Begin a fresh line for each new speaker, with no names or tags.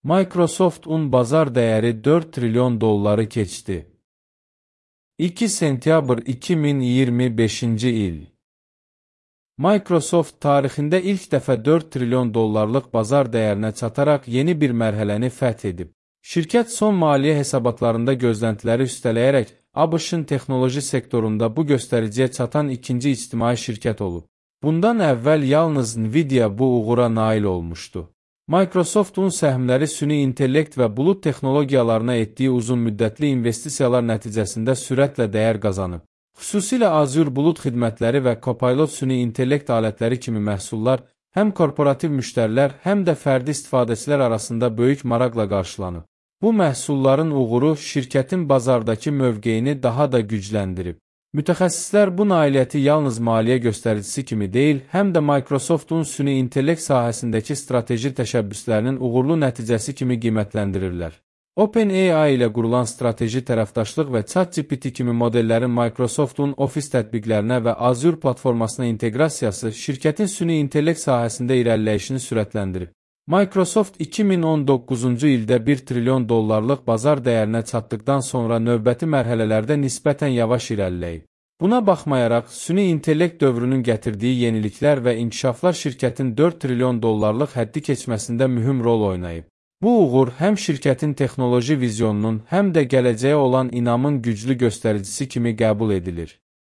Microsoft'un bazar değeri 4 trilyon dolları keçdi. 2 sentyabr 2025-ci il. Microsoft tarixində ilk dəfə 4 trilyon dollarlıq bazar dəyərinə çataraq yeni bir mərhələni fəth edib. Şirkət son maliyyə hesabatlarında gözləntiləri üstələyərək ABŞ-ın texnoloji sektorunda bu göstəriciyə çatan ikinci ictimai şirkət olub. Bundan əvvəl yalnız Nvidia bu uğura nail olmuşdu. Microsoft'un səhmləri süni intellekt və bulud texnologiyalarına etdiyi uzunmüddətli investisiyalar nəticəsində sürətlə dəyər qazanıb. Xüsusilə Azure bulud xidmətləri və Copilot süni intellekt alətləri kimi məhsullar həm korporativ müştərilər, həm də fərdi istifadəçilər arasında böyük maraqla qarşılanıb. Bu məhsulların uğuru şirkətin bazardakı mövqeyini daha da gücləndirib. Mütəxəssislər bu nailiyyəti yalnız maliyyə göstəricisi kimi deyil, həm də Microsoft'un süni intellekt sahəsindəki strateji təşəbbüslərinin uğurlu nəticəsi kimi qiymətləndirirlər. OpenAI ilə qurulan strateji tərəfdaşlıq və ChatGPT kimi modellərin Microsoft'un Office tətbiqlərinə və Azure platformasına inteqrasiyası şirkətin süni intellekt sahəsində irəliləyişini sürətləndirib. Microsoft 2019-cu ildə 1 trilyon dollarlıq bazar dəyərinə çatdıqdan sonra növbəti mərhələlərdə nisbətən yavaş irəliləyib. Buna baxmayaraq, süni intellekt dövrünün gətirdiyi yeniliklər və inkişaflar şirkətin 4 trilyon dollarlıq həddi keçməsində mühüm rol oynayıb. Bu uğur həm şirkətin texnoloji vizyonunun, həm də gələcəyə olan inamın güclü göstəricisi kimi qəbul edilir.